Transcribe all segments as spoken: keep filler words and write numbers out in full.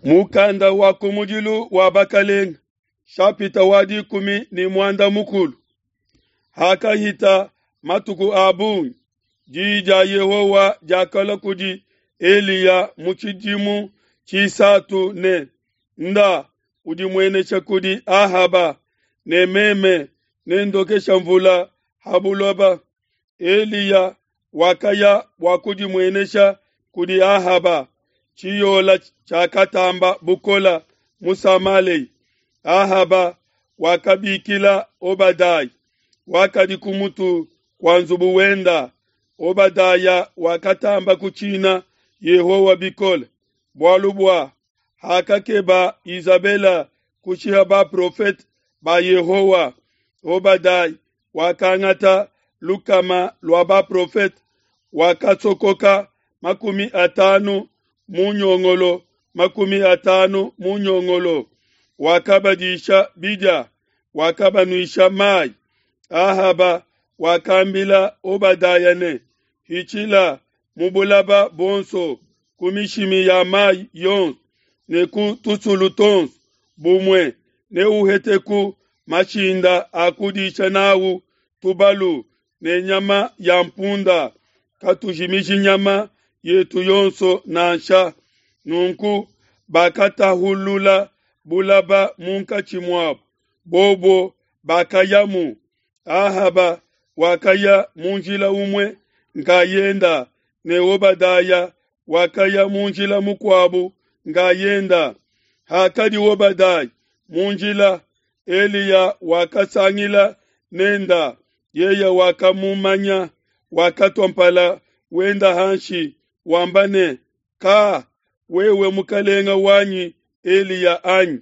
Mukanda wa kumudilu wa Bakalenga, shapita wa dikumi ne muanda mukulu. Hakahita matuku a bungi, diyi dia Yehowa diakalua kudi Eliya mu tshidimu tshisatu ne, Nda udimuenesha kudi Ahaba, ne meme nendokesha mvula ha buloba. Eliya wakaya bua kudimuenesha kudi Ahaba. Tshiyola tshiakatamba bukola mu Samalea. Ahaba wakabikila Obadaya, wakadi ku mutu kua nzubu wenda. Obadaya wakatamba kutshina Yehowa bikole, bualu bua hakakeba Izabela kushiha baprofete ba Yehowa, Obadaya wakangata lukama lua baprofete, wakasokoka makumi atanu mu nyongolo makumi atanu mu nyongolo, wakabadisha bidia, wakabanuisha mai. Ahaba wakambila Obadaya ne, Hitshila mu bulaba buonso ku mishimi ya mai yonso ne ku tusulu tuonso, bumue neuheteku mashinda a kudisha n'au tubalu ne nyama ya mpunda, katujimiji nyama yetu yonso nansha. Nunku bakatahulula bulaba munkatshi muabo, bobo bakayamu. Ahaba wakaya mu njila umue nkayenda, ne Obadaya wakaya mu njila mukuabu nkayenda. Hakadi Obadaya mu njila, Eliya wakasangila nenda, yeye wakamumanya, wakatua mpala wenda hanshi, wamba ne, Ka, wewe mukalenga wanyi Eliya anyi?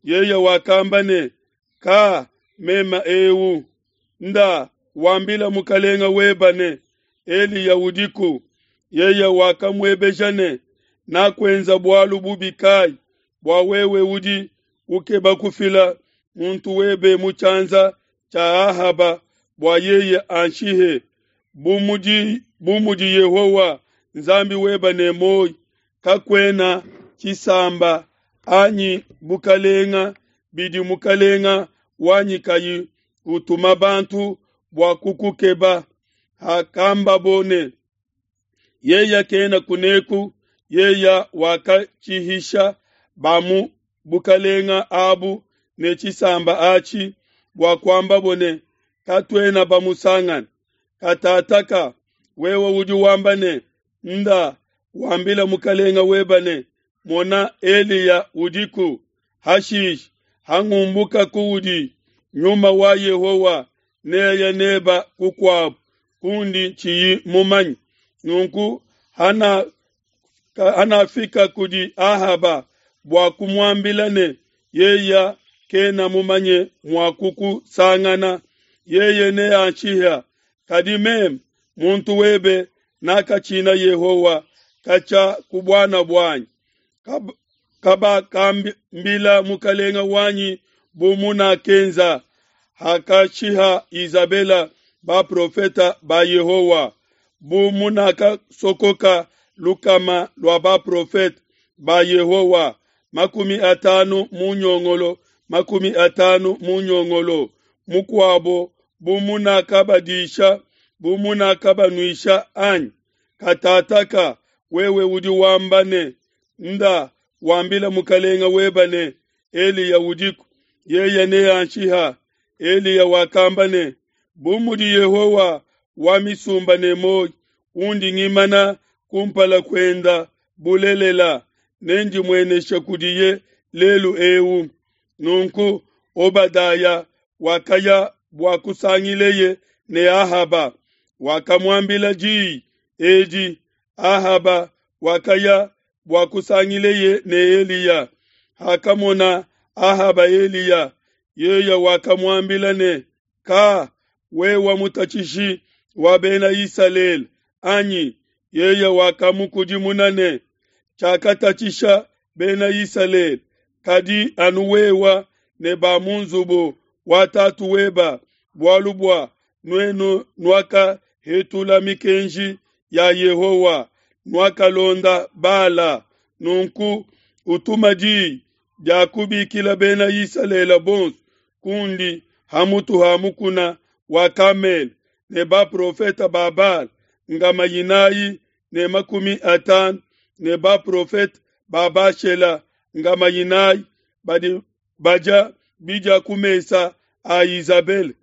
Yeye wakamba ne, Ka, mema eu. Nda wambila mukalenga weba ne, Eliya udiku. Yeye wakamuebeja ne, Nakuenza bualu bubi kai bua wewe udi ukeba kufila muntu webe mu tshianza tshia Ahaba bua yeye anshihe? Bu mudi, bu mudi Yehowa Nzambi weba ne muoyo, kakuena tshisamba anyi bukalenga bidi mukalenga wanyi kayi utuma bantu bua kukukeba. Hakambabo ne, Yeye kena kuneku, yeye wakatshihisha ba mu bukalenga abu ne tshisamba atshi bua kuambabo ne, Katuena bamusangane. Katataka wewe udi wamba ne, Nda wambila mukalenga weba ne, Mona, Eliya udiku. Hashishe hangumbuka kuudi, nyuma wa Yehowa neye neba kukuabu kundi tshiyi mumanye. Nunku hana hanafika kudi Ahaba bua kumuambila ne, yeye kena mumanye mua kukusangana, yeye neanshiha. Kadi meme muntu webe nakatshina Yehowa katshia ku buana buanyi. Kab kabakambila mukalenga wanyi bu munakenza hakashiha Izabela baprofeta ba Yehowa, bu munakasokoka lukama lua baprofete ba Yehowa, makumi atanu mu nyongolo, makumi atanu mu nyongolo mukuabo, bu munakabadisha, bu munakabanuisha anyi? Katataka wewe udi wamba ne, Nda wambila mukalenga weba ne, Eliya udiku, yeye neanshiha. Eliya wakamba ne, Bu mudi Yehowa wa misumba ne muoyo, undi ngimana kumpala kuenda, bulelela, nendimueneshe kudiye lelu eu. Nunku Obadaya wakaya bua kusangileye ne Ahaba, wakamuambila diyi edi. Ahaba wakaya bua kusangileye ne Eliya. Hakamona Ahaba Eliya, yeye wakamuambila ne, Ka, wewe mutatshishi wa Bena Isalele anyi? Yeye wakamukudimuna ne, Tshiakatatshisha Bena Isalele, kadi anu wewe ne ba mu nzubu wa tatu weba, bualu bua nuenu nuakahetula mikenji ya Yehowa, nuakalonda Bala. Nunku Utuma diyi dia kubikila Bena Isalele bonso kundi ha mutu ha mukuna wa Kamele, ne baprofete ba Bala nkama inayi ne makumi atanu, ne baprofete ba Bashela nkama inayi badi badia bidia ku mesa a Izabele.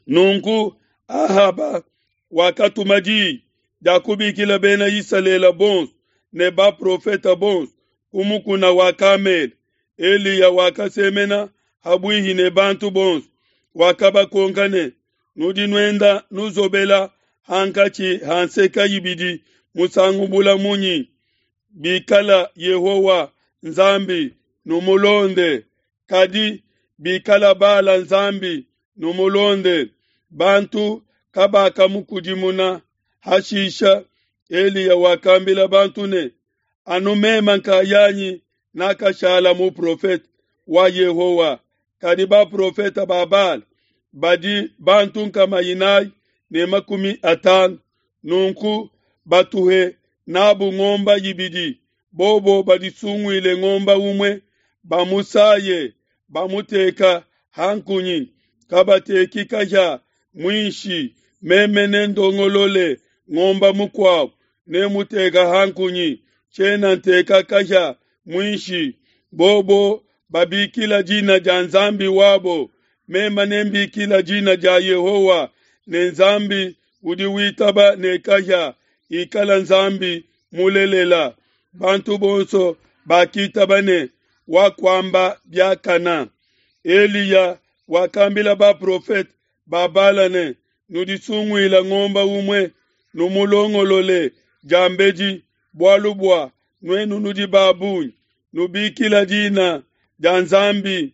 Nunku Ahaba wakatuma diyi dia kubikila Bena Isalele bonso ne baprofete bonso ku mukuna wa Kamele. Eliya wakasemena habuihi ne bantu bonso, wakabakonka ne, nudi nuenda nuzobela hankatshi ha nseke ibidi musangu bula munyi? Bikala Yehowa Nzambi, numulonde, kadi bikala Bala Nzambi, numulonde. Bantu kabakamukudimuna. Hashisha Eliya wakambila bantu ne, anu meme nkayanyi nakashala muprofete wa Yehowa, kadi baprofete ba Bala badi bantu nkama inayi ne makumi atanu. Nunku batuhe nabu ngomba ibidi, bobo badisunguile ngomba umue, bamusaye, bamuteka ha nkunyi, kabateki kahia muinshi. Meme nendongolole ngomba mukuabo, nemuteka ha nkunyi, tshiena nteka kahia muinshi. Bobo babikila dina dia Nzambi wabo, meme nembikila dina dia Yehowa, ne Nzambi udi witaba ne kahia ikala Nzambi mulelela. Bantu bonso bakitaba ne wakuamba biakana. Eliya wakambila baprofete ba Bala ne, nudisunguila ngomba umue, numulongolole diambedi, bualu bua nuenu nudi ba bungi, nubikila dina dia Nzambi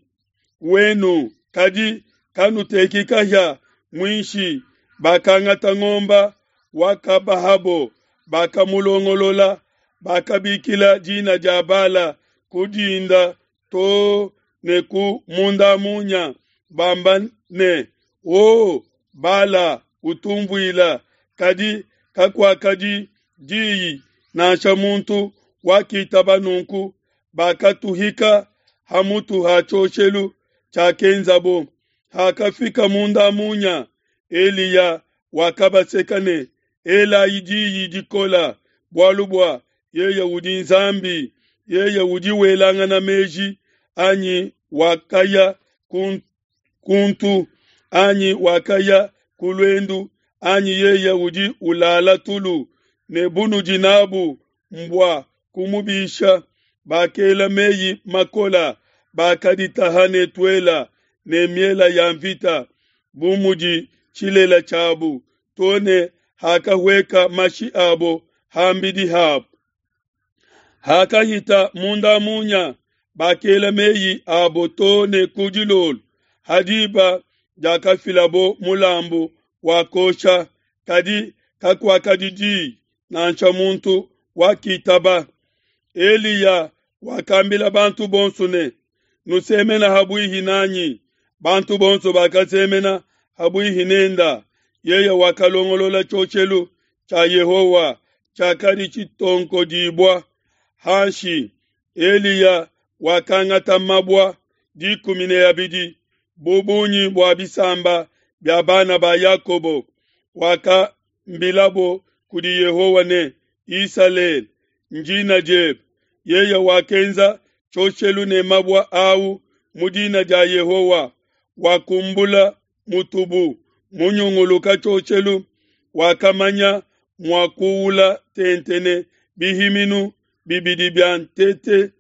wenu, kadi kanuteki kahia muinshi. Bakangata ngomba wakabahabo, bakamulongolola, bakabikila dina dia Bala ku dinda to ne ku mundamunya, bamba ne, o Bala, utumvuila. Kadi kakuakadi diyi nansha muntu wakitaba. Nunku bakatuhika ha mutu ha tshioshelu tshiakenzabo. Hakafika mundamunya, Eliya wakabaseka ne, elayi diyi dikola, bualu bua yeye udi Nzambi, yeye udi welangana meji, anyi wakaya kuntu, anyi wakaya ku luendu, anyi yeye udi ulala tulu, ne bunudi nabu mbua kumubisha. Bakela meyi makola, bakaditaha ne tuela ne miela ya mvita, bu mudi tshilela tshiabu, to ne hakahueka mashi abo hambidi habo. Hakahita munda munya, bakela meyi abo to ne ku dilolo, ha diba diakafilabo mulambu wa kosha, kadi kakuakadi diyi nansha muntu wakitaba. Eliya wakambila bantu bonso ne, nusemena habuihi nanyi. Bantu bonso bakasemena habuihi nenda. Yeye wakalongolola tshioshelu tshia Yehowa tshiakadi tshitonkodibua hanshi. Eliya wakangata mabua dikumi ne abidi bu bungi bua bisamba bia bana ba Yakobo. Wakambilabo kudi Yehowa ne, Isalele ndina diebe. Yeye wakenza tshioshelu ne mabua au mu dina dia Yehowa. Wakumbula mutubu munyunguluka tshioshelu, wakamanya mua kuula tente ne bihiminu bibidi bia ntete.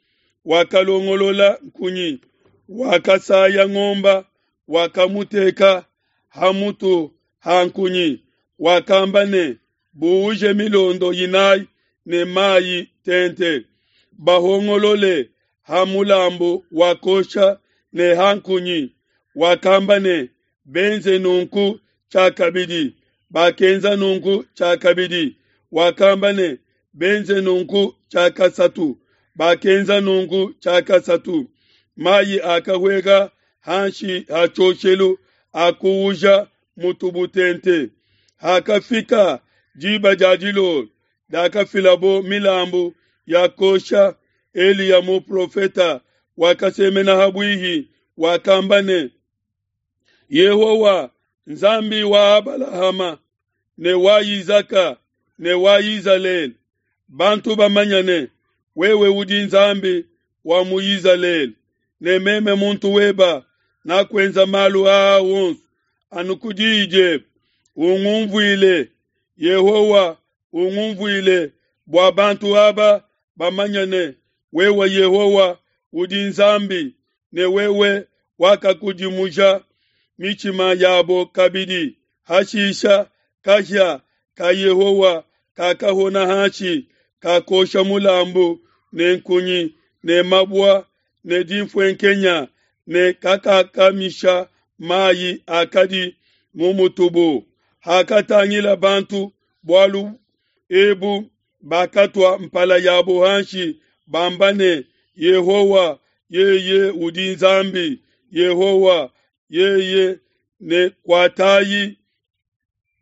Wakalongolola nkunyi, wakasaya ngomba, wakamuteka ha mutu ha nkunyi. Wakamba ne, buuje milondo inayi ne mayi tente, bahongolole ha mulambu wa kosha ne ha nkunyi. Wakamba ne, benze nunku tshiakabidi. Bakenza nunku tshiakabidi. Wakamba ne, benze nunku tshiakasatu. Bakenza nunku tshiakasatu. Mayi akahueka hanshi ha tshioshelu akuuja mutubu tente. Hakafika diba dia dilolo diakafilabo milambu ya kosha, Eliya muprofeta wakasemena ha bwihi, wakamba ne, Yehowa Nzambi wa Abalahama ne wa Izaka ne wa Izalele, bantu bamanya ne, wewe udi Nzambi wa mu Izalele, ne meme muntu weba nakuenza malu aa wonso anu ku diyi diebe. Ungumvuile, Yehowa, ungumvuile, bua bantu aba bamanya ne, wewe Yehowa udi Nzambi, ne wewe wakakudimuja mitshima yabo kabidi. Hashisha kahia ka Yehowa kakahona hanshi, kakosha mulambu ne nkunyi ne mabua ne dinfuenkenya ne kakakamisha mayi akadi mu mutubu. Hakatangila bantu bualu ebu, bakatua mpala yabo hanshi, bamba ne, Yehowa, yeye udi Nzambi, Yehowa, yeye ne kuatayi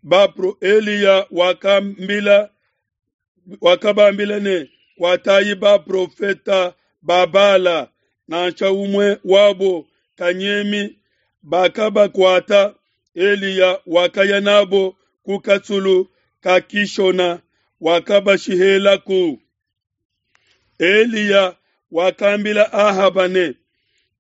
bapro. Eliya wakambila wakabambila ne, kuatayi baprofeta ba Bala, nansha umue wabo kanyemi. Bakabakuata. Eliya wakaya nabo ku kasulu ka Kishona, wakabashihelaku. Eliya wakambila Ahaba ne,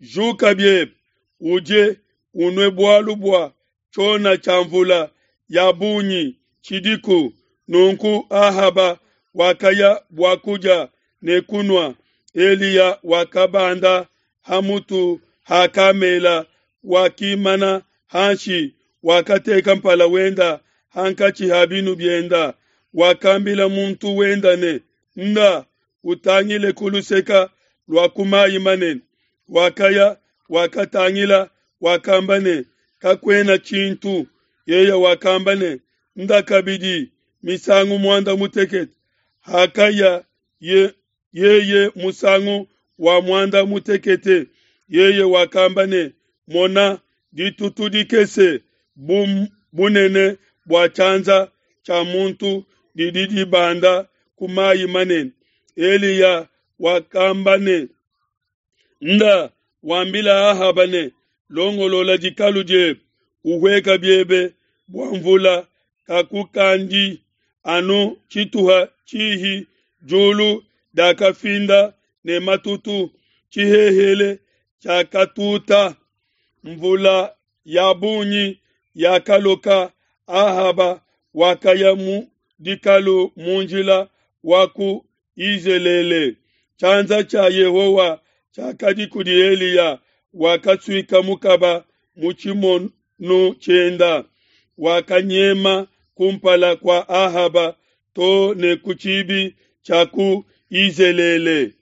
Juka biebe, udie, unue, bualu bua tshiona tshia mvula ya bungi tshidiku. Nunku Ahaba wakaya bua kudia ne kunua. Eliya wakabanda ha mutu ha Kamela, wakimana hanshi, wakateka mpala wenda hankatshi ha binu bienda. Wakambila muntu wenda ne, Nda, utangile ku luseka lua ku mayi manene. Wakaya, wakatangila, wakamba ne, Kakuena tshintu. Yeye wakamba ne, Nda kabidi misangu muanda mutekete. Hakaya ye, yeye musangu wa muanda mutekete, yeye wakamba ne, Mona, ditutu dikese bu bunene bua tshianza tshia muntu didi dibanda ku mayi manene. Eliya wakamba ne, Nda, wambila Ahaba ne, Longolola dikalu diebe, uhueka biebe, bua mvula kakukandi anu tshituha tshihi. Diulu diakafinda ne matutu, tshihehele tshiakatuta, mvula ya bungi yakaloka. Ahaba wakaya mu dikalu mu njila wa ku Yizelele. Tshianza tshia Yehowa tshiakadi kudi Eliya, wakasuika mukaba mu tshimonu tshienda, wakanyema kumpala kua Ahaba to ne ku tshibi tshia ku Yizelele.